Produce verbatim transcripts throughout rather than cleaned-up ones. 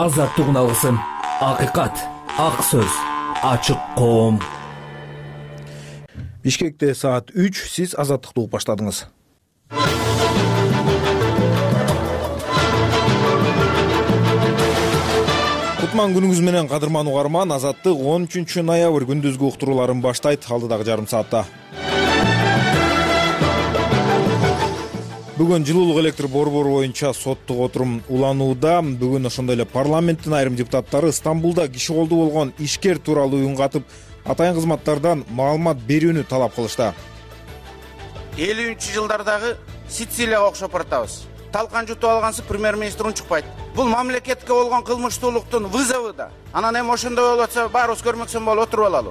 азаттык алгысым, акыйкат, ак сөз, ачык коом. Бишкекте саат үч, сиз азаттыкты угуп баштадыңыз. Кутман күнүңүз менен кадырман угарман, азаттык он үчүнчү ноябрь күндүзгү уктурууларын баштайт. Алдыдагы жарым саатта бүгүн жылуулук электр борбору боюнча соттук отурум уланууда. Бүгүн ошондой эле парламенттин айрым депутаттары Стамбулда киши колдуу болгон ишкер тууралуу үн катып, атайын кызматтардан маалымат берүүнү талап кылышты. элүүнчү жылдардагы Сицилияга окшоп баратабыз. Талкан жутуп алгансы премьер-министр унчукпайт. Бул мамлекетке болгон кылмыштуулуктун вызову да. Анан эми ошондой болуп атса, баарыбыз көрмөксөн болуп отуруп алалы.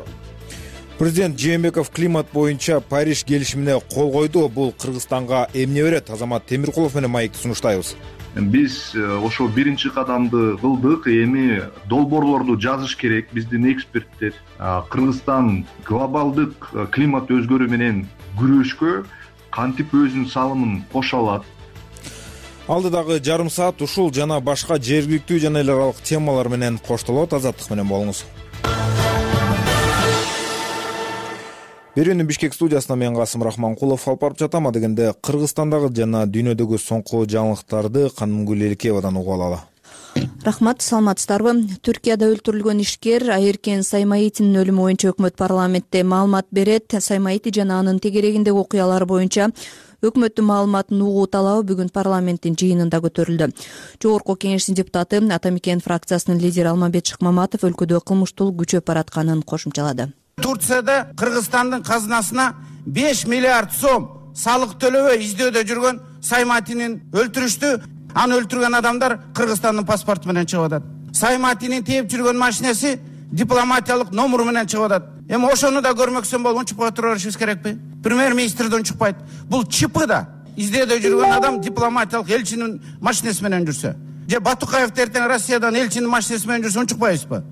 Президент Жээнбеков климат боюнча Париж келишимине кол койду. Бул Кыргызстанга эмне берет? Азамат Темиркулов менен маекти сунуштайбыз. Биз ошо биринчи кадамды кылдык. Эми долбоорлорду жазыш керек. Биздин эксперттер Кыргызстан глобалдык климат өзгөрүү менен күрөшкө кантип өзүнүн салымын кошо алат. Алдыдагы жарым саат ушул жана башка жергиликтүү жана эл аралык темалар менен коштолот. Азаттык менен болуңуз. Берүүнү Бишкек студиясына мен Касым Рахманкулов алып барып жатам. Адегенде Кыргызстандагы жана дүйнөдөгү соңку жаңылыктарды Канымгүл Эликеевадан угуп алалы. Рахмат, саламатсыздарбы? Түркияда өлтүрүлгөн ишкер Айыркен Саймаитинин өлүмү боюнча өкмөт парламентте маалымат берет. Саймаити жана анын тегерегиндеги окуялар боюнча өкмөттүн маалыматын угуу талабы бүгүн парламенттин жыйынында көтөрүлдү. Жогорку кеңештин депутаты Атамекен фракциясынын лидери Алмамбет Шыкмаматов өлкөдө кылмыштуулук күчөп баратканын кошумчалады. Турцияда Кыргызстандын казынасына беш миллиард сом салык төлөбөй издөөдө жүргөн Саймаитинин өлтүрүштү. Аны өлтүргөн адамдар Кыргызстандын паспорту менен чыгып атат. Саймаитинин тээп жүргөн машинеси дипломатиялык номеру менен чыгып атат. Эми ошону да көрмөксөн болуп унчукпай тура беришибиз керекпи? Премьер-министр да унчукпайт. Бул чипы да. Издөөдө жүргөн адам дипломатиялык элчинин машинеси менен жүрсө, же Батукаев эртең Россиядан элчинин машинеси менен жүрсө унчукпайбызбы?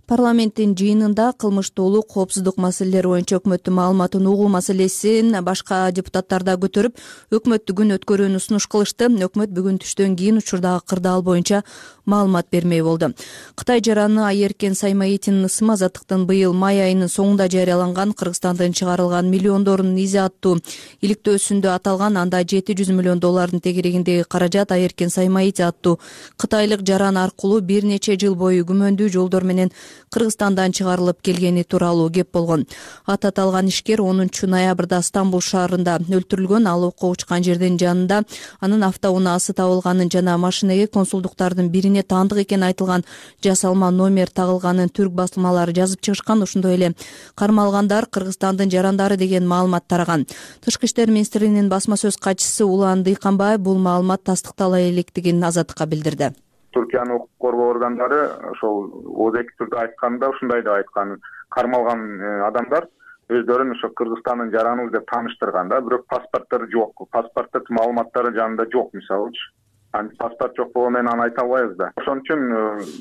Парламенттин жыйынында кылмыштуулук, коопсуздук маселелери боюнча өкмөттүн маалыматын угуу маселесин башка депутаттар да көтөрүп, өкмөттү күн өткөрүүнү сунуш кылышты. Өкмөт бүгүн түштөн кийин учурдагы кырдаал боюнча маалымат бермей болду. Кытай жараны Айыркен Саймаитинин ысымы Азаттыктын быйыл май айынын соңунда жарыяланган Кыргызстандан чыгарылган миллиондордун изи аттуу иликтөөсүндө аталган. Анда жети жүз миллион доллардын тегерегиндеги каражат Айыркен Саймаити аттуу кытайлык жаран аркылуу бир нече жыл бою күмөндүү жолдор менен Кыргызстандан чыгарылып келгени тууралуу кеп болгон. Ат аталган ишкер онунчу ноябрда Стамбул шаарында өлтүрүлгөн. Ал окко учкан жердин жанында анын автоунаасы табылганын жана машинеге консулдуктардын бирине таандык экени айтылган жасалма номер тагылганын түрк басылмалары жазып чыгышкан. Ошондой эле кармалгандар Кыргызстандын жарандары деген маалымат тараган. Тышкы иштер министрлигинин басма сөз катчысы Улан Дыйканбаев бул маалымат тастыктала электигин Азаттыкка билдирди. Түркиянын укук коргоо органдары ошол ооздеги түрдө айтканда ушундай деп айткан: кармалган адамдар өздөрүн ошо Кыргызстандын жараныбыз деп тааныштырган да, бирок паспорттор жок, паспорттук маалыматтары жанында жок мисалычы. Анткени паспорт жок болгону менен аны айта албайбыз да. Ошон үчүн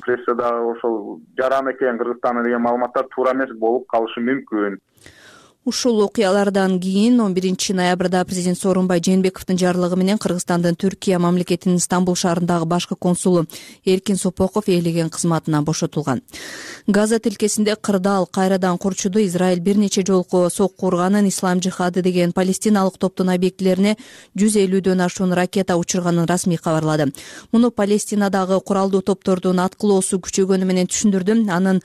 прессада ошол жаран экен Кыргызстанда деген маалыматтар туура эмес болуп калышы мүмкүн. Ушул окуялардан кийин он биринчи ноябрда президент Сооронбай Жээнбековдун жарлыгы менен Кыргызстандын Түркия мамлекетинин Стамбул шаарындагы башкы консулу Эркин Сопоков ээлеген кызматынан бошотулган. Газа тилкесинде кырдаал кайрадан курчуду. Израиль бир нече жолку сокку урганын, Ислам жихады деген палестиналык топтун объектилерине жүз элүүдөн ашуун ракета учурганын расмий кабарлады. Муну Палестинадагы куралдуу топтордун аткылоосу күчөгөнү менен түшүндүрдү. Анын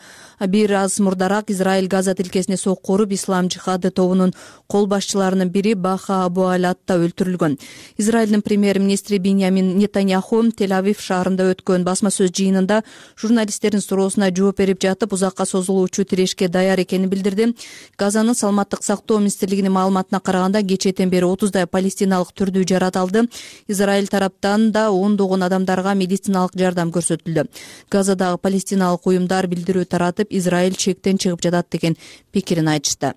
бир аз мурдараак Израиль Газа тилкесине сокку уруп, Ислам жихады тобунун кол башчыларынын бири Баха Абу Алатта өлтүрүлгөн. Израилдин премьер-министри Биньямин Нетаньяху Тель-Авив шаарында өткөн басма сөз жыйынында журналисттердин суроосуна жооп берип жатып, узакка созулуучу тирешке даяр экенин билдирди. Газанын саламаттык сактоо министрлигинин маалыматына караганда, кечээден бери отуздай палестиналык түрдүү жарат алды. Израиль тараптан да ондогон адамдарга медициналык жардам көрсөтүлдү. Газадагы палестиналык уюмдар билдирүү таратып, Израиль чектен чыгып жатат деген пикирин айтышты.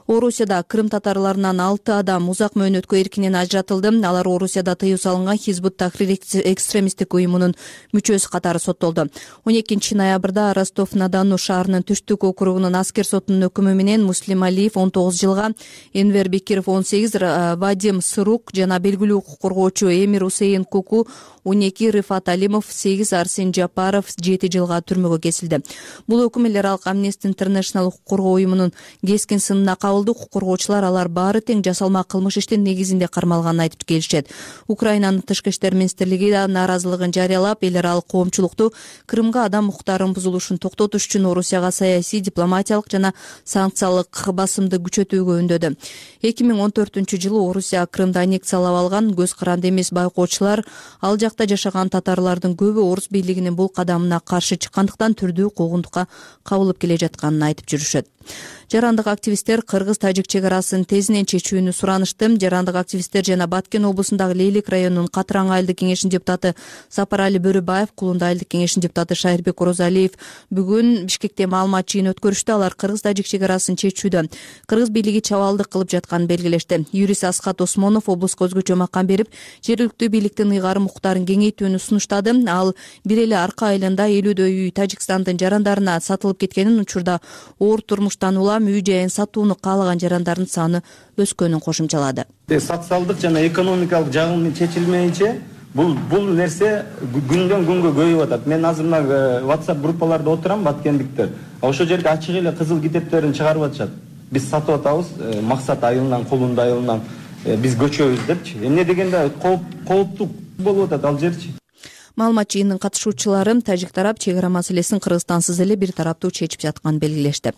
Орусияда Крым татарларынан алты адам узак мөөнөткө эркинен ажыратылды. Алар Орусияда тыюу салынган Хизбут Тахрир экстремисттик уюмунун мүчөсү катары соттолду. он экинчи ноябрда Ростов-на-Дону шаарынын түштүк округунун аскер сотунун өкүмү менен Муслим Алиев он тогуз жылга, Энвер Бекиров он сегиз, Вадим Сырук жана белгилүү укук коргоочу Эмир Усейн Куку он эки, Рифат Алимов сегиз, Арсен Жапаров жети жылга түрмөгө кесилди. Бул өкүм эл аралык Amnesty International укук коргоо уюмунун кескин сынына кабылды. Укук коргоочулар алар баары тең жасалма кылмыш иштин негизинде кармалганын айтып келишет. Украинанын тышкы иштер министрлиги да нааразылыгын жарыялап, эл аралык коомчулукту Крымга адам укуктарынын бузулушун токтотуш үчүн Орусияга саясий, дипломатиялык жана санкциялык басымды күчөтүүгө үндөдү. эки миң он төртүнчү жылы Орусия Крымды аннексиялап алган. Көз каранды эмес байкоочулар ал жакта жашаган татарлардын көбү орус бийлигинин бул кадамына каршы чыккандыктан түрдүү куугунтукка кабылып келе жатканын айтып жүрүшөт. Жарандык активисттер кыргыз-тажик чек арасын тезинен чечүүнү суранышты. Жарандык активисттер жана Баткен облусундагы Лейлик районунун Катыран айылдык кеңешинин депутаты Сапарали Бөрүбаев, Кулунда айылдык кеңешинин депутаты Шайырбек Орозалиев бүгүн Бишкекте маалымат жыйын өткөрүштү. Алар кыргыз-тажик чек арасын чечүүдө кыргыз бийлиги чабалдык кылып жатканын белгилешти. Юрист Асхат Осмонов облуска өзгөчө макам берип, жергиликтүү бийликтин ыйгарым укуктарын кеңейтүүнү сунуштады. Ал бир эле Арка айылында элүүдөй үй Тажикстандын жарандарына сатылып кеткенин, учурда оор турмуштан улам үй жайын сатууну каалаган жарандардын саны өскөнүн кошумчалады. Социалдык жана экономикалык жагы чечилмейинче бул бул нерсе күндөн күнгө көбөйүп атат. Мен азыр мына WhatsApp группаларда отурам, баткендиктер. Ошол жерге ачык эле кызыл китептерин чыгарып атышат. Биз сатып атабыз, Максат айылынан, Кулунда айылынан биз көчөбүз депчи. Эмне дегенде кооптуу болуп атат ал жерчи. Маалымат жыйынынын катышуучулары тажик тарап чек ара маселесин Кыргызстансыз эле бир тараптуу чечип жатканын белгилешти.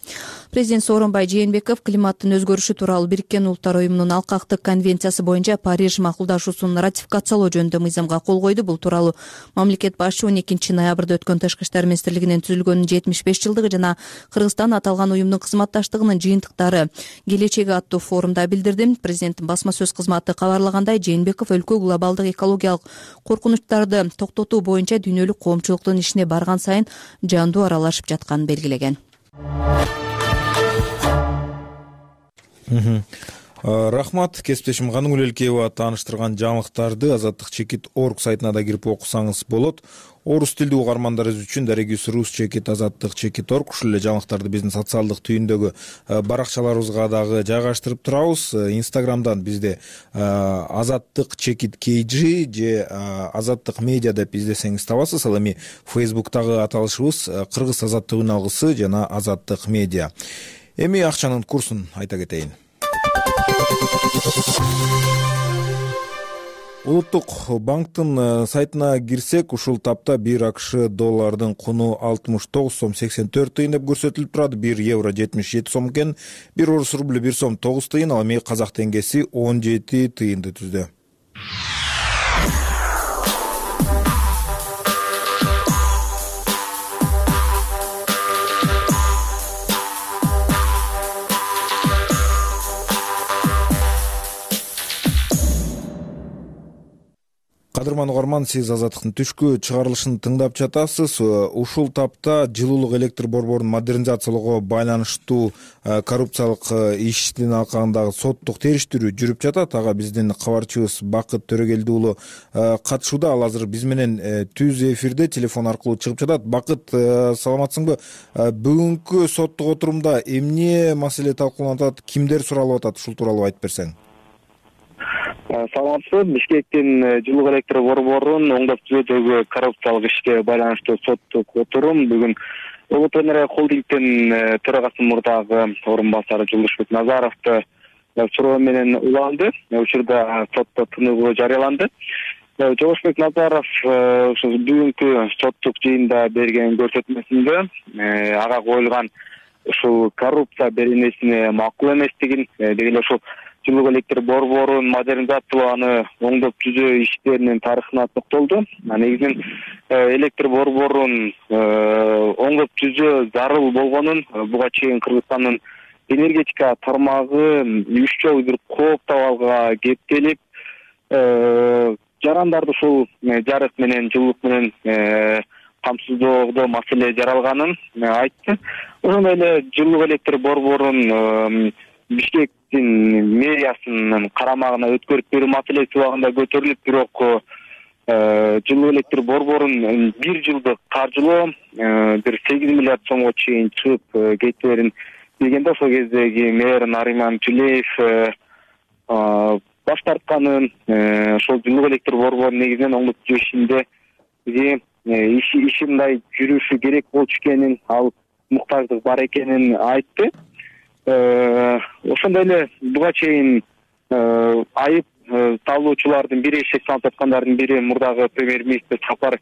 Президент Сооронбай Жээнбеков климаттын өзгөрүшү тууралуу Бириккен Улуттар уюмунун алкактык конвенциясы боюнча Париж макулдашуусун ратификациялоо жөнүндө мыйзамга кол койду. Бул тууралуу мамлекет башы он экинчи ноябрда өткөн Тышкы иштер министрлигинин түзүлгөнүнүн жетимиш беш жылдыгы жана Кыргызстан аталган уюмдун кызматташтыгынын жыйынтыктары келечеги аттуу форумда билдирди. Президенттин басма сөз кызматы кабарлагандай, Жээнбеков өлкө глобалдык экологиялык коркунучтарды токтотуу боюнча дүйнөлүк коомчулуктун ишине барган сайын жандуу аралашып жатканын белгилеген. Рахмат, кесиптешим Ганугүл Элкеева тааныштырган жаңылыктарды азаттык чекит точка орг сайтына да кирип окусаңыз болот. Орус тилдүү угармандарыбыз үчүн Дарегис Рус чекит азаттык чекит точка орг ушул эле жаңылыктарды биздин социалдык түйүндөгү баракчаларыбызга дагы жайгаштырып турабыз. Инстаграмдан бизде азаттык чекит kg же азаттык медиа деп издесеңиз табасыз. Ал эми Фейсбуктагы аталышыбыз Кыргыз азаттыгын алгысы жана азаттык медиа. Эми акчанын курсун айта кетейин. Улуттук банктын сайтына кирсек, ушул тапта бир АКШ доллардын куну алтымыш тогуз сом сексен төрт тыйын деп көрсөтүлүп турат. бир евро жетимиш жети сом экен, бир орус рубль бир сом тогуз тыйын, ал эми казак теңгеси он жети тыйынды түздү. Кадырман угарман, сиз азаттыктын түшкү чыгарылышын тыңдап жатасыз. Ушул тапта жылуулук электр борборун модернизациялоого байланыштуу коррупциялык иштин алкагындагы соттук териштирүү жүрүп жатат. Ага биздин кабарчыбыз Бакыт Төрөгелди уулу катышууда. Ал азыр биз менен түз эфирде телефон аркылуу чыгып жатат. Бакыт, саламатсыңбы? Бүгүнкү соттук отурумда эмне маселе талкууланып атат, кимдер суралып атат, ушул тууралуу айтып берсең. Саламатсызбы. Бишкектин жылуулук электр борборун оңдоп түзүүдөгү коррупциялык ишке байланыштуу соттук отурум бүгүн Улут Энерго холдингдин төрагасы мурдагы орун басары Жолдошбек Назаровду суроо менен уланды. Учурда сотто тыныгуу жарыяланды. Жолдошбек Назаров ушул бүгүнкү соттук жыйында берген көрсөтмөсүндө ага коюлган ушул коррупция беренесине макул эместигин, деги эле ушул жылуулук электр борборун модернизациялоо, аны оңдоп түзөө иштеринин тарыхына токтолду. Негизинен электр борборун оңдоп түзөө зарыл болгонун, буга чейин Кыргызстандын энергетика тармагы үч жолу бир кооптабалга кептелип, жарандарды ушул жарык менен, жылуулук менен камсыздоодо маселе жаралганын айтты. Ошондой эле жылуулук электр борборун Бишкектин мэриясынын карамагына өткөрүп берүү маселеси убагында көтөрүлүп, бирок жылуу электр борборун бир жылдык каржылоо бир сегиз миллиард сомго чейин чыгып кетээрин дегенде ошол кездеги мэр Нариман Тюлеев баш тартканын, ошол жылуу электр борбору негизинен оңдоп ишинде иши мындай жүрүшү керек болчу экенин, ал муктаждык бар экенин айтты. Ошондой эле буга чейин айып талоочулардын бири, шек салып аткандардын бири мурдагы премьер-министр Сапар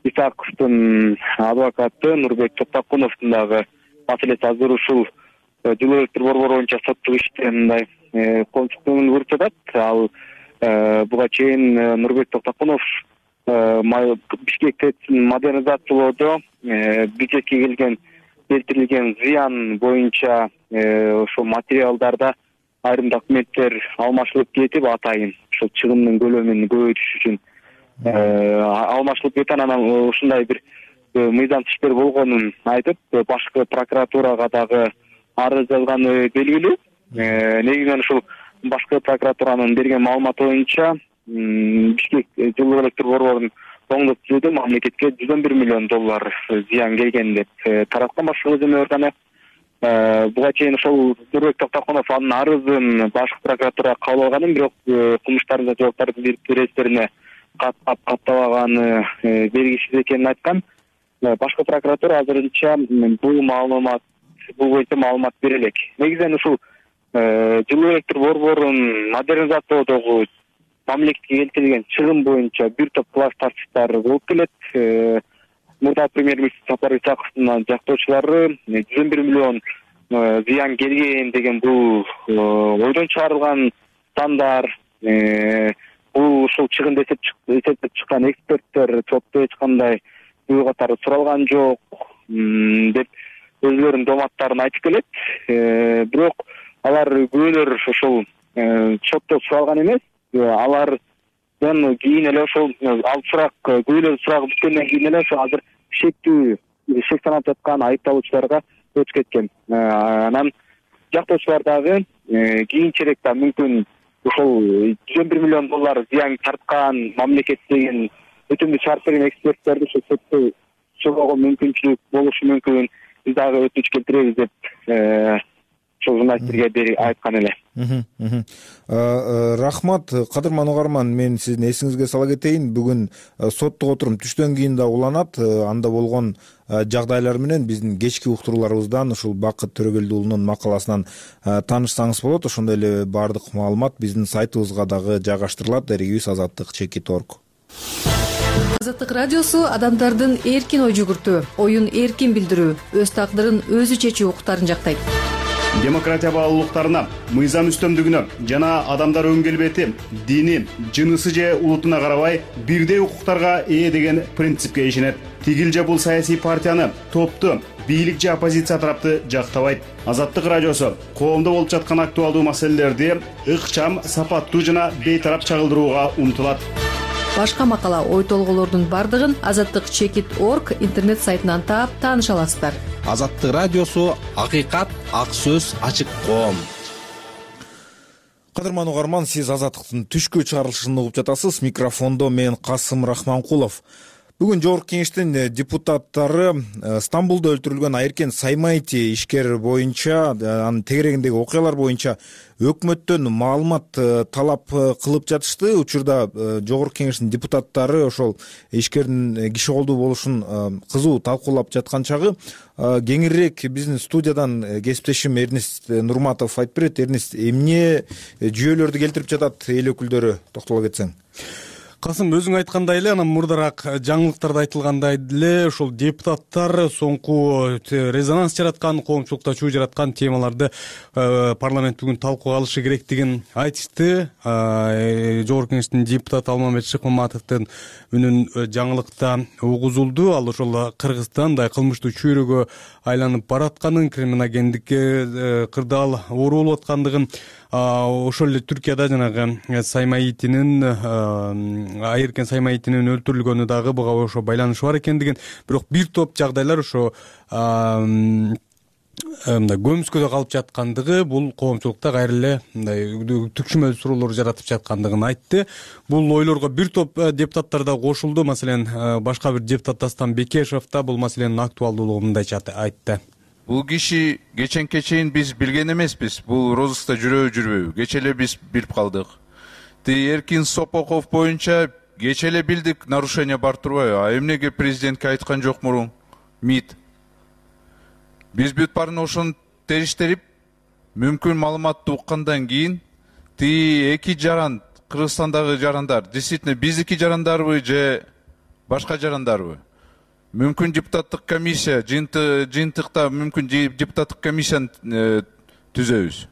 Исаковдун адвокаты Нурбек Токтокуновдун дагы маселеси азыр ушул жылуу электр борбору боюнча соттук иште мындай коомчулук көңүл буруп жатат. Ал буга чейин Нурбек Токтокунов Бишкек ТЭЦин модернизациялоодо бюджетке келген келтирилген зыян боюнча ошол материалдарда айрым документтер алмашылып кетип, атайын ошол чыгымдын көлөмүн көбөйтүш үчүн алмашылып кеткен, анан ушундай бир мыйзам иштер болгонун айтып, башкы прокуратурага дагы арыз жазганы белгилүү. Негизинен ушул башкы прокуратуранын берген маалыматы боюнча Бишкек жылуу электр борборунун оңдоп түзүүдө мамлекетке жүз он бир миллион доллар зыян келген деп тараткан башкы көзөмөл органы. Буга чейин ошол Нурбек Токтокунов анын арызын башкы прокуратура кабыл алганын, бирок кылмыштардын жоопкардын бир реестерине каттап каттабаганы белгисиз экенин айткан. Башкы прокуратура азырынча бул маалымат бул боюнча маалымат бере элек. Негизинен ушул жылуу электр борборун модернизациялоодогу мамлекетке келтирилген чыгым боюнча бир топ класс тартыштар болуп келет. Мурда премьер-министр Сапар Исаковдун жактоочулары жүз он бир миллион зыян келген деген бул ойдон чыгарылган сандар. Бул ушул чыгымды эсептеп чыккан эксперттер сотто эч кандай бул катары суралган жок деп өзлөрүнүн доматтарын айтып келет. Бирок алар күбөлөр ошол сотто суралган эмес. Алардан кийин эле ошол ал сурак күбөлөр сурагы бүткөндөн кийин эле ошо азыр шектүү шек санап жаткан айыпталуучуларга өтүп кеткен. Анан жактоочулар дагы кийинчерээк да мүмкүн ошол жүз он бир миллион доллар зыян тарткан мамлекет деген өтүмдү чыгарып берген эксперттерди ошо сотто суроого мүмкүнчүлүк болушу мүмкүн. Биз дагы өтүнүч келтиребиз деп ошол журналисттерге айткан эле. Рахмат, кадырман угарман, мен сиздин эсиңизге сала кетейин. Бүгүн соттук отурум түштөн кийин да уланат. Анда болгон жагдайлар менен биздин кечки уктурууларыбыздан ушул Бакыт Төрөгелди уулунун макаласынан таанышсаңыз болот. Ошондой эле баардык маалымат биздин сайтыбызга дагы жайгаштырылат. Дарегибиз азаттык чекит орг. Азаттык радиосу адамдардын эркин ой жүгүртүү, оюн эркин билдирүү, өз тагдырын өзү чечүү укуктарын жактайт. Демократия баалуулуктарына, мыйзам үстөмдүгүнө жана адамдар өң келбети, дини, жынысы же улутуна карабай бирдей укуктарга ээ деген принципке ишенет. Тигил же бул саясий партияны, топту, бийлик же оппозиция тарапты жактабайт. Азаттык радиосу коомдо болуп жаткан актуалдуу маселелерди ыкчам, сапаттуу жана бейтарап чагылдырууга умтулат. Башка макала, ой толголордун бардыгын азаттык чекит орг интернет сайтынан таап тааныша аласыздар. Азаттык радиосу акыйкат, ак сөз, ачык коом. Кадырман угарман, сиз Азаттыктын түшкү чыгарылышын угуп жатасыз. Микрофондо мен Касым Рахманкулов. Бүгүн жогорку кеңештин депутаттары Стамбулда өлтүрүлгөн Айыркен Саймайти ишкер боюнча, анын тегерегиндеги окуялар боюнча өкмөттөн маалымат талап кылып жатышты. Учурда жогорку кеңештин депутаттары ошол ишкердин киши колдуу болушун кызуу талкуулап жаткан чагы кеңирээк биздин студиядан кесиптешим Эрнист Нурматов айтып берет. Эрнист, эмне жүйөлөрдү келтирип жатат эл өкүлдөрү, токтоло кетсең. Касым, өзүң айткандай эле, анан мурдараак жаңылыктарда айтылгандай эле ошол депутаттар соңку резонанс жараткан, коомчулукта чуу жараткан темаларды парламент бүгүн талкууга алышы керектигин айтышты. Жогорку кеңештин депутаты Алмамбет Шыкмаматовдун үнүн жаңылыкта угузулду. Ал ошол Кыргызстан мындай кылмыштуу чөйрөгө айланып баратканын, криминогендикке кырдаал оору болуп аткандыгын, ошол эле Түркияда жанагы Саймаитинин Айыркен Саймаитинин өлтүрүлгөнү дагы буга ошо байланышы бар экендигин, бирок бир топ жагдайлар ошо мындай көмүскөдө калып жаткандыгы, бул коомчулукта кайра эле мындай түкшүмөл суроолор жаратып жаткандыгын айтты. Бул ойлорго бир топ депутаттар да кошулду. Маселен, башка бир депутат Дастан Бекешев да бул маселенин актуалдуулугун мындайча айтты. Бул киши кеченке чейин биз билген эмеспиз. Бул розыскта жүрөбү жүрбөйбү. Кече эле биз билип калдык. Ти Эркин Сопоков боюнча кече эле билдик, нарушение бар турбайбы? А эмнеге президентке айткан жок мурун? МИД. Биз бүт баарын ошону териштирип, мүмкүн маалыматты уккандан кийин ти эки жаран, Кыргызстандагы жарандар, действительно биздики жарандарбы же башка жарандарбы? Мүмкүн депутаттык комиссия, жыйынтыкта мүмкүн депутаттык комиссияны түзөбүз.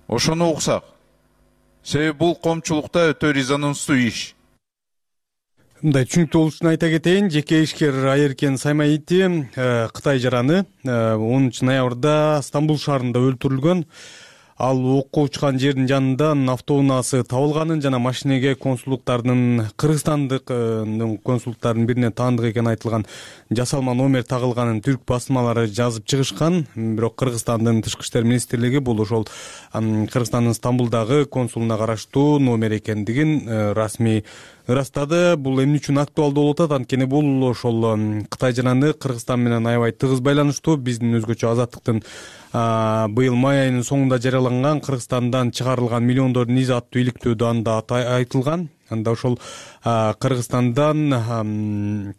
Ошону уксак. Себеби бул коомчулукта өтө резонанстуу иш. Мындай түшүнүктүү болуш үчүн айта кетейин, жеке ишкер Айеркен Саймаити Кытай жараны онунчу ноябрда Стамбул шаарында өлтүрүлгөн. Ал окко учкан жердин жанынан автоунаасы табылганын жана машинеге консулдуктардын кыргызстандык консулдуктардын бирине таандык экени айтылган жасалма номер тагылганын түрк басмалары жазып чыгышкан. Бирок Кыргызстандын тышкы иштер министрлиги бул ошол Кыргызстандын Стамбулдагы консулуна караштуу номер экендигин расмий ырастады. Бул эмне үчүн актуалдуу болуп атат? Анткени бул ошол Кытай жараны Кыргызстан менен аябай тыгыз байланыштуу. Биздин өзгөчө Азаттыктын быйыл май айынын соңунда жарыяланган Кыргызстандан чыгарылган миллиондордун изи аттуу иликтөөдө анда айтылган. Анда ошол Кыргызстандан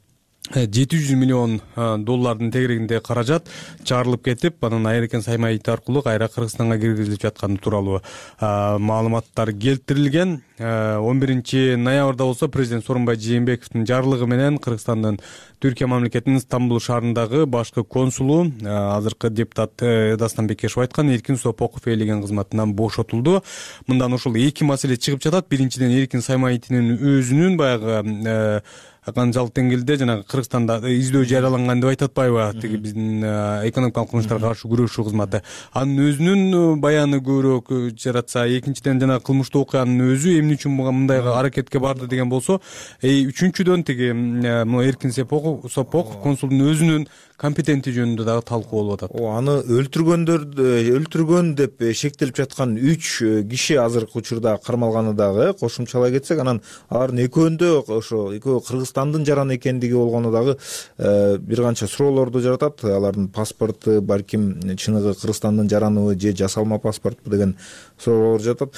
жети жүз миллион доллардын тегерегинде каражат чыгарылып кетип, анан Айеркен Саймаити аркылуу кайра Кыргызстанга киргизилип жатканы тууралуу маалыматтар келтирилген. он биринчи ноябрда болсо президент Сооронбай Жээнбековдун жарлыгы менен Кыргызстандын Түркия мамлекетинин Стамбул шаарындагы башкы консулу, азыркы депутат Дастан Бекешев айткан, Эркин Сопоков ээлеген кызматынан бошотулду. Мындан ошол эки маселе чыгып жатат. Биринчиден, Эркин Саймаитинин өзүнүн баягы канчалык деңгээлде жана Кыргызстанда издөө жарыяланган деп айтып атпайбы, тиги биздин экономикалык кылмыштарга каршы күрөшүү кызматы. Анын өзүнүн баяны көбүрөөк жаратса, экинчиден жана кылмыштуу окуянын өзү эмне үчүн мындай аракетке барды деген болсо, үчүнчүдөн тиги Эркин Сопоков консулдун өзүнүн компетенти жөнүндө дагы талкуу болуп атат. Аны өлтүргөндөр өлтүргөн деп шектелип жаткан үч киши азыркы учурда кармалганы дагы кошумчалай кетсек, анан алардын экөөндө ошо экөө Кыргызстандын жараны экендиги болгону дагы бир канча суроолорду жаратат. Алардын паспорту балким чыныгы Кыргызстандын жараныбы же жасалма паспортпу деген суроолор жатат.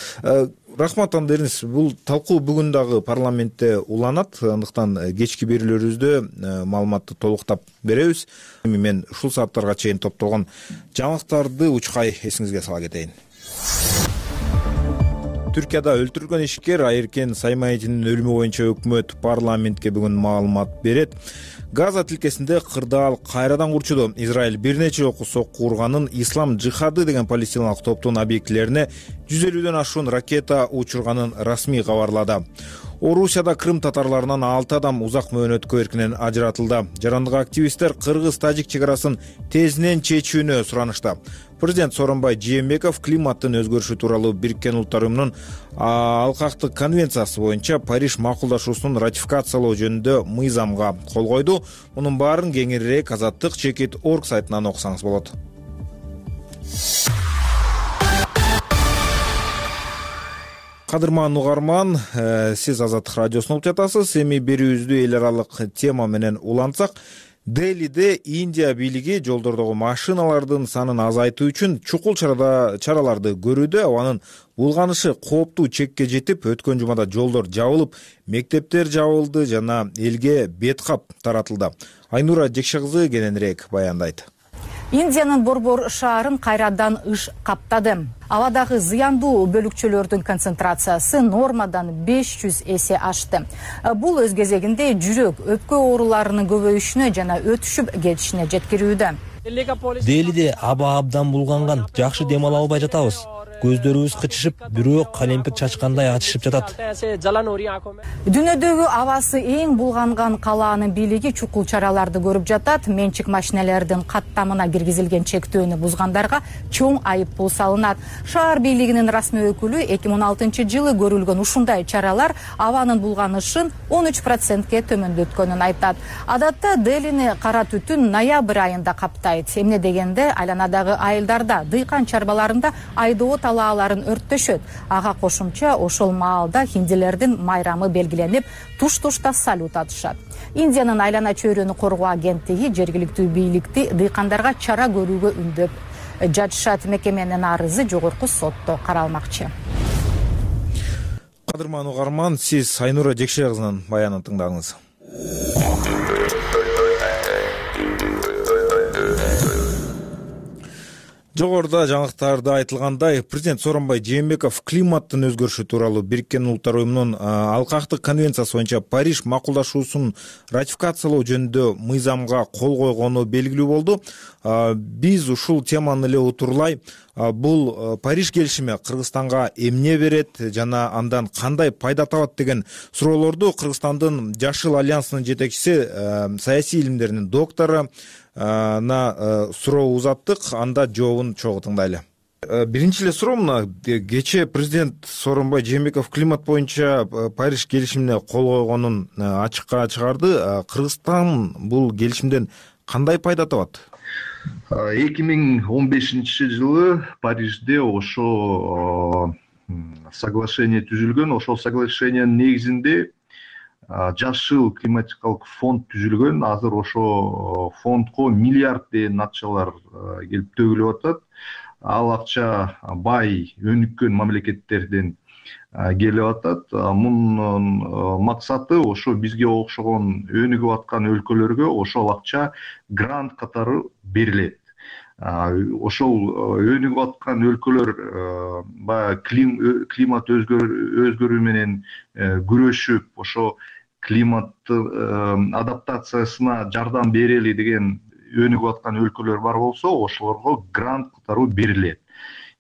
Рахмат Андеринс, бул талкуу бүгүн дагы парламентте уланат. Андыктан кечки берүүлөрүбүздө маалыматты толуктап беребиз. Мен ушул сааттарга чейин топтолгон жаңылыктарды учкай эсиңизге сала кетейин. Түркияда өлтүрүлгөн ишкер Айеркен Саймаитинин өлүмү боюнча өкмөт парламентке бүгүн маалымат берет. Газа тилкесинде кырдаал кайрадан курчуду. Израиль бир нече окуу сокку урганын Ислам жихады деген палестиналык топтун объектилерине жүз элүүдөн ашуун ракета учурганын расмий кабарлады. Орусияда Крым татарларынан алты адам узак мөөнөткө эркинен ажыратылды. Жарандык активисттер кыргыз-тажик чек арасын тезинен чечүүнү суранышты. Президент Сооронбай Жээнбеков климаттын өзгөрүшү тууралуу Бириккен Улуттар уюмунун алкактык конвенциясы боюнча Париж макулдашуусун ратификациялоо жөнүндө мыйзамга кол койду. Мунун баарын кеңирээк Азаттык чекит точка орг сайтынан окусаңыз болот. Кадырман угарман, сиз Азаттык радиосун угуп жатасыз. Эми берүүбүздү эл аралык тема менен улантсак, Делиде Индия бийлиги жолдордогу машиналардын санын азайтуу үчүн чукул чараларды көрүүдө. Абанын булганышы кооптуу чекке жетип, өткөн жумада жолдор жабылып, мектептер жабылды жана элге бет кап таратылды. Айнура Жекше кызы кененирээк баяндайт. Индиянын Борбор шаарын кайрадан ыш каптады. Абадагы зыяндуу бөлүкчөлөрдүн концентрациясы нормадан беш жүз эсе ашты. Бул өз кезегинде жүрөк, өпкө ооруларынын көбөйүшүнө жана өтүшүп кетишине жеткирүүдө. Делиде аба абдан булганган, жакшы дем ала албай жатабыз. көздөрүбүз кычышып, бирөө калемпир чачкандай ачышып жатат. Дүйнөдөгү абасы эң булганган калаанын бийлиги чукул чараларды көрүп жатат. Менчик машиналердин каттамына киргизилген чектөөнү бузгандарга чоң айыппул салынат. Шаар бийлигинин расмий өкүлү эки миң он алтынчы жылы көрүлгөн ушундай чаралар абанын булганышын он үч процентке төмөндөткөнүн айтат. Адатта Делини кара түтүн ноябрь айында каптайт. Эмне дегенде айланадагы айылдарда, дыйкан чарбаларында айдоо талааларын өрттөшөт. Ага кошумча ошол маалда хиндилердин майрамы белгиленип, туш-тушта салют атышат. Индиянын айлана чөйрөнү коргоо агенттиги жергиликтүү бийликти дыйкандарга чара көрүүгө үндөп жатышат. Мекеменин арызы жогорку сотто каралмакчы. Кадырман угарман, сиз Айнура Жекшебай кызынын баянын тыңдадыңыз. Жогоруда жаңылыктарда айтылгандай, президент Сооронбай Жээнбеков климаттын өзгөрүшү тууралуу Бириккен Улуттар уюмунун алкактык конвенциясы боюнча Париж макулдашуусун ратификациялоо жөнүндө мыйзамга кол койгону белгилүү болду. Биз ушул теманы эле утурлай, бул Париж келишими Кыргызстанга эмне берет жана андан кандай пайда табат деген суроолорду Кыргызстандын Жашыл альянсынын жетекчиси, саясий илимдеринин доктору на суроо узаттык. Анда жообун чогуу тыңдайлы. Биринчи эле суроо мына, кечээ президент Сооронбай Жээнбеков климат боюнча Париж келишимине кол койгонун ачыкка чыгарды. Кыргызстан бул келишимден кандай пайда табат? эки миң он бешинчи жылы Парижде ошо соглашение түзүлгөн. Ошол соглашениянын негизинде жашыл климатикалык фонд түзүлгөн. Азыр ошо фондко миллиард деген акчалар келип төгүлүп атат. Ал акча бай, өнүккөн мамлекеттерден келип атат. Мунун максаты ошо бизге окшогон өнүгүп аткан өлкөлөргө ошол акча грант катары берилет. Ошол өнүгүп аткан өлкөлөр баягы климат өзгөрүү менен күрөшүп, ошо климаттын адаптациясына жардам берели деген өнүгүп аткан өлкөлөр бар болсо, ошолорго грант катары берилет.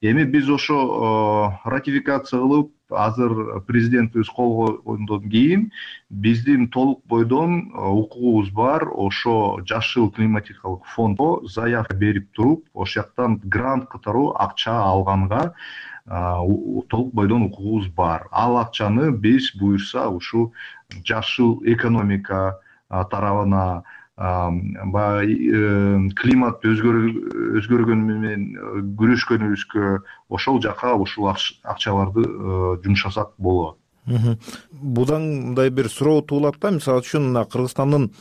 Эми биз ошо ратификация кылып, азыр президентибиз кол койгондон кийин биздин толук бойдон укугубуз бар. Ошо жашыл климатикалык фондго заявка берип туруп, ошол жактан грант катары акча алганга толук бойдон укугубуз бар. Ал акчаны биз буюрса ушу жашыл экономика тарабына, климат өзгөргөнү менен күрөшкөнүбүзгө ошол жака ушул акчаларды жумшасак болот. Будан мындай бир суроо туулат да, мисалы үчүн Кыргызстандын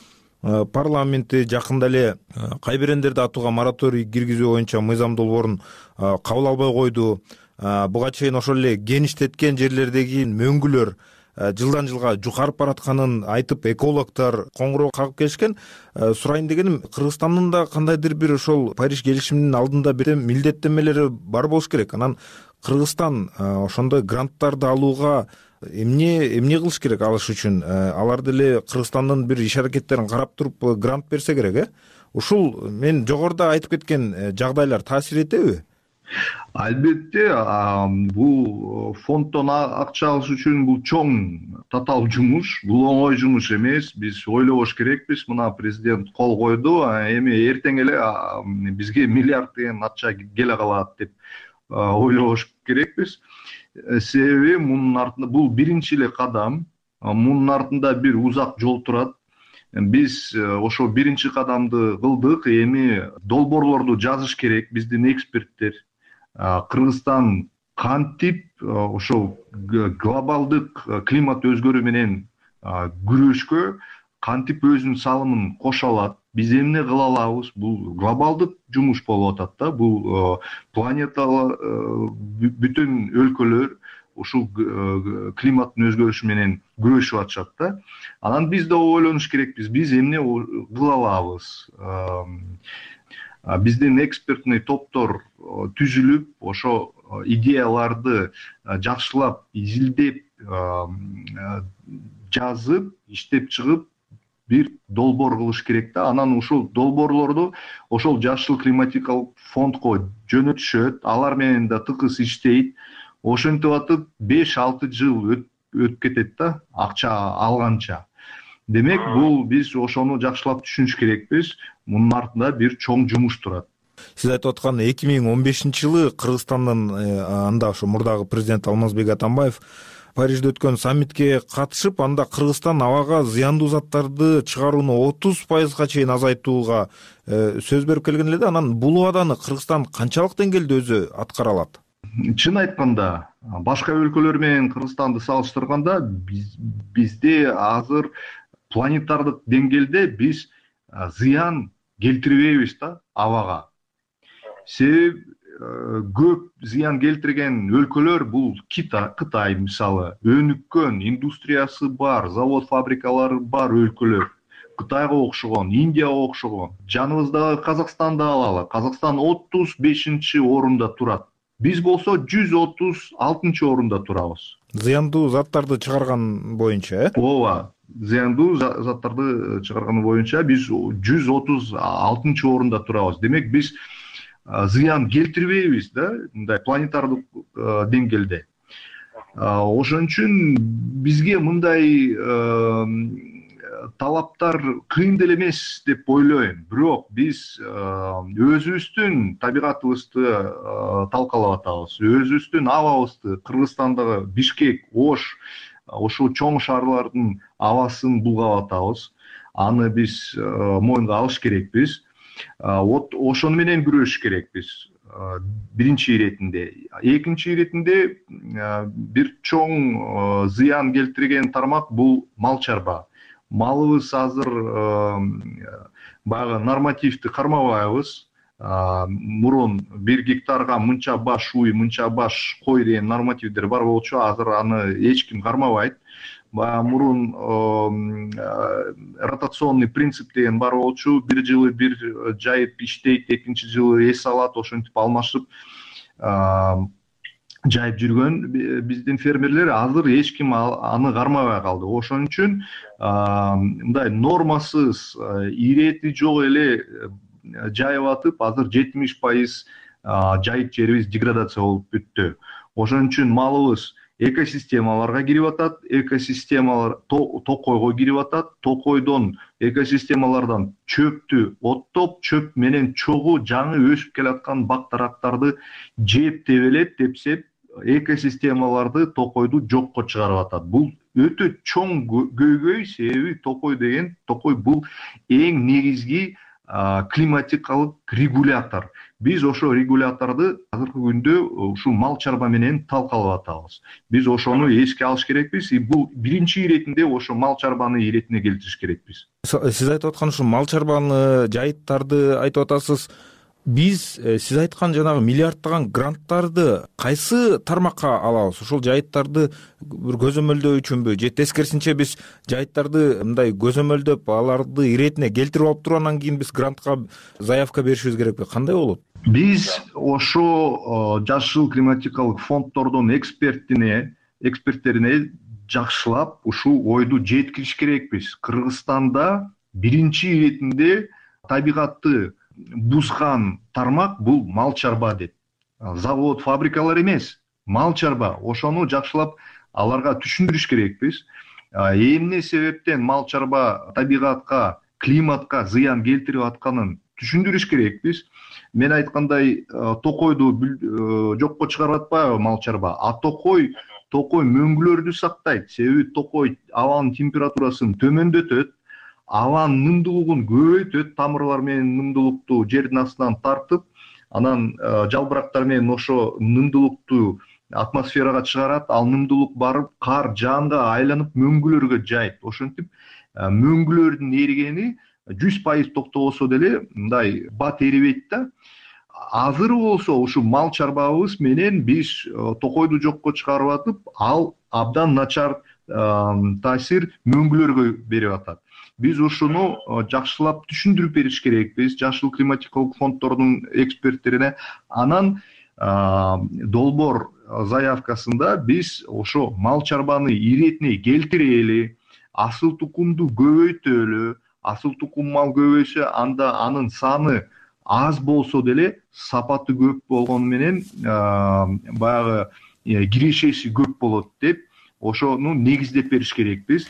парламенти жакында эле кайберендерди атууга мораторий киргизүү боюнча мыйзам долбоорун кабыл албай койду. Буга чейин ошол эле кеништеткен жерлердеги мөңгүлөр жылдан жылга жукарып баратканын айтып, экологдор коңгуроо кагып келишкен. Сурайын дегеним, Кыргызстандын да кандайдыр бир ошол Париж келишиминин алдында бир милдеттенмелери бар болуш керек. Анан Кыргызстан ошондой гранттарды алууга эмне эмне кылыш керек алыш үчүн? Алар деле Кыргызстандын бир иш аракеттерин карап туруп грант берсе керек, э? Ушул мен жогоруда айтып кеткен жагдайлар таасир этеби? Албетте, бул фонддон акча алыш үчүн бул чоң татаал жумуш, бул оңой жумуш эмес. Биз ойлобош керекпиз. Мына президент кол койду, эми эртең эле бизге миллиард деген акча келе калат деп ойлобош керекпиз. Себеби мунун артында бул биринчи эле кадам, мунун артында бир узак жол турат. Биз ошо биринчи кадамды кылдык, эми долбоорлорду жазыш керек биздин эксперттер. Кыргызстан кантип ошол глобалдык климат өзгөрүү менен күрөшкө кантип өзүнүн салымын кошо алат, биз эмне кыла алабыз? Бул глобалдык жумуш болуп атат да. Бул планетада бүтүн өлкөлөр ушул климаттын өзгөрүшү менен күрөшүп атышат да. Анан биз да ойлонуш керекпиз, биз эмне кыла алабыз? Биздин экспертный топтор түзүлүп, ошо идеяларды жакшылап изилдеп, жазып, иштеп чыгып, бир долбоор кылыш керек да. Анан ушул долбоорлорду ошол жашыл климатикалык фондко жөнөтүшөт, алар менен да тыкыз иштейт. Ошентип атып беш алты жыл өтүп кетет да, акча алганча. Демек, бул биз ошону жакшылап түшүнүш керекпиз. Мунун артында бир чоң жумуш турат. Сиз айтып аткан эки миң он бешинчи жылы Кыргызстандын анда ошо мурдагы президент Алмазбек Атамбаев Парижде өткөн саммитке катышып, анда Кыргызстан абага зыяндуу заттарды чыгарууну отуз пайызга чейин азайтууга сөз берип келген эле да. Анан бул убаданы Кыргызстан канчалык деңгээлде өзү аткара алат? Чын айтканда, башка өлкөлөр менен Кыргызстанды салыштырганда бизде азыр планетардык деңгээлде биз зыян келтирбейбиз да абага. Себеби көп зыян келтирген өлкөлөр бул Кытай мисалы, өнүккөн индустриясы бар, завод фабрикалары бар өлкөлөр. Кытайга окшогон, Индияга окшогон. Жаныбыздагы Казакстанды алалы. Казакстан отуз бешинчи орунда турат. Биз болсо жүз отуз алтынчы орунда турабыз. Зыяндуу заттарды чыгарган боюнча, э? Ооба. Зыяндуу заттарды чыгарган боюнча биз жүз отуз алтынчы орунда турабыз. Демек, биз зыян келтирбейбиз да, мындай планетардык деңгээлде. Ошон үчүн бизге мындай талаптар кыйын деле эмес деп ойлойм. Бирок биз өзүбүздүн табигатыбызды талкалап атабыз, өзүбүздүн абабызды, Кыргызстандагы Бишкек, Ош, ошол чоң шаарлардын абасын булгап атабыз. Аны биз моюнга алыш керекпиз. Ошону менен күрөшүш керекпиз. Биринчи иретинде. Экинчи иретинде бир чоң зыян келтирген тармак бул мал чарба. Малыбыз азыр баягы нормативди кармабайбыз. Мурун бир гектарга мынча баш уй, мынча баш кой деген нормативдер бар болчу, азыр аны эч ким кармабайт. Мурун ротационный принцип деген бар болчу, бир жылы бир жайып иштейт, экинчи жылы эс алат, ошентип алмашып жайып жүргөн биздин фермерлер азыр эч ким аны кармабай калды. Ошон үчүн мындай нормасыз, ирети жок эле жайып атып, азыр жетимиш пайыз жайыт жерибиз деградация болуп бүттү. Ошон үчүн малыбыз экосистемаларга кирип атат, экосистемалар токойго кирип атат, токойдон экосистемалардан чөптү оттоп, чөп менен чогуу жаңы өсүп келаткан бак-дарактарды жеп тебелеп, тепсеп, экосистемаларды, токойду жокко чыгарып атат. Бул өтө чоң көйгөй, себеби токой деген, токой бул эң негизги климатикалык регулятор. Биз ошо регуляторду азыркы күндө ушул мал чарба менен талкалап атабыз. Биз ошону эске алыш керекпиз. Бул биринчи иретинде ошо мал чарбаны иретине келтириш керекпиз. Сиз айтып аткан ушул мал чарбаны, жайыттарды айтып атасыз. Биз сиз айткан жанагы миллиардтаган гранттарды кайсы тармакка алабыз? Ушул жайыттарды бир көзөмөлдөө үчүнбү, же тескерисинче биз жайыттарды мындай көзөмөлдөп, аларды иретине келтирип алып туруп, анан кийин биз грантка заявка беришибиз керекпи? Кандай болот? Биз ошо жашыл климатикалык фонддордун экспертине, эксперттерине жакшылап ушул ойду жеткириш керекпиз. Кыргызстанда биринчи иретинде табигатты бузган тармак бул мал чарба деп. Завод, фабрикалар эмес, мал чарба. Ошону жакшылап аларга түшүндүрүш керекпиз. Эмне себептен мал чарба табигатка, климатка зыян келтирип атканын түшүндүрүш керекпиз. Мен айткандай, токойду жокко чыгарып атпайбы мал чарба? А токой, токой мөңгүлөрдү сактайт. Себеби токой абанын температурасын төмөндөтөт. Абанын нымдуулугун көбөйтөт, тамырлар менен нымдуулукту жердин астынан тартып, анан жалбырактар менен ошо нымдуулукту атмосферага чыгарат, ал нымдуулук барып кар жаанга айланып мөңгүлөргө жайт. Ошентип мөңгүлөрдүн эригени жүз пайыз токтобосо деле мындай бат эрибейт да. Азыр болсо ушу мал чарбабыз менен биз токойду жокко чыгарып атып, ал абдан начар таасир мөңгүлөргө берип атат. Биз ушуну жакшылап түшүндүрүп бериш керекпиз жашыл климатикалык фонддордун эксперттерине. Анан долбоор заявкасында биз ошо мал чарбаны иретине келтирели, асыл тукумду көбөйтөлү. Асыл тукум мал көбөйсө анда анын саны аз болсо деле сапаты көп болгону менен баягы кирешеси көп болот деп ошону негиздеп бериш керекпиз.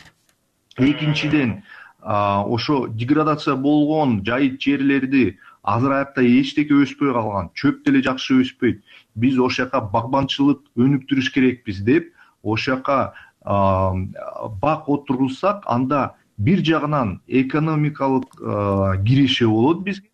Экинчиден, ошо деградация болгон жайыт жерлерди азыр аякта эчтеке өспөй калган, чөп деле жакшы өспөйт. Биз ошол жака багбанчылык өнүктүрүш керекпиз деп ошол жака бак отургузсак, анда бир жагынан экономикалык киреше болот бизге.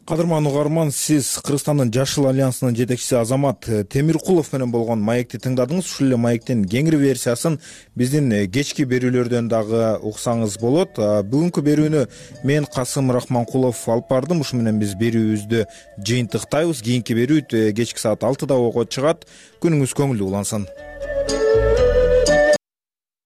Кадырман угарман, сиз Кыргызстандын Жашыл альянсынын жетекчиси Азамат Темиркулов менен болгон маекти тыңдадыңыз. Ушул эле маектин кеңири версиясын биздин кечки берүүлөрдөн дагы уксаңыз болот. Бүгүнкү берүүнү мен Касым Рахманкулов алып бардым. Ушу менен биз берүүбүздү жыйынтыктайбыз. Кийинки берүү кечки саат алтыда ого чыгат. Күнүңүз көңүлдүү улансын.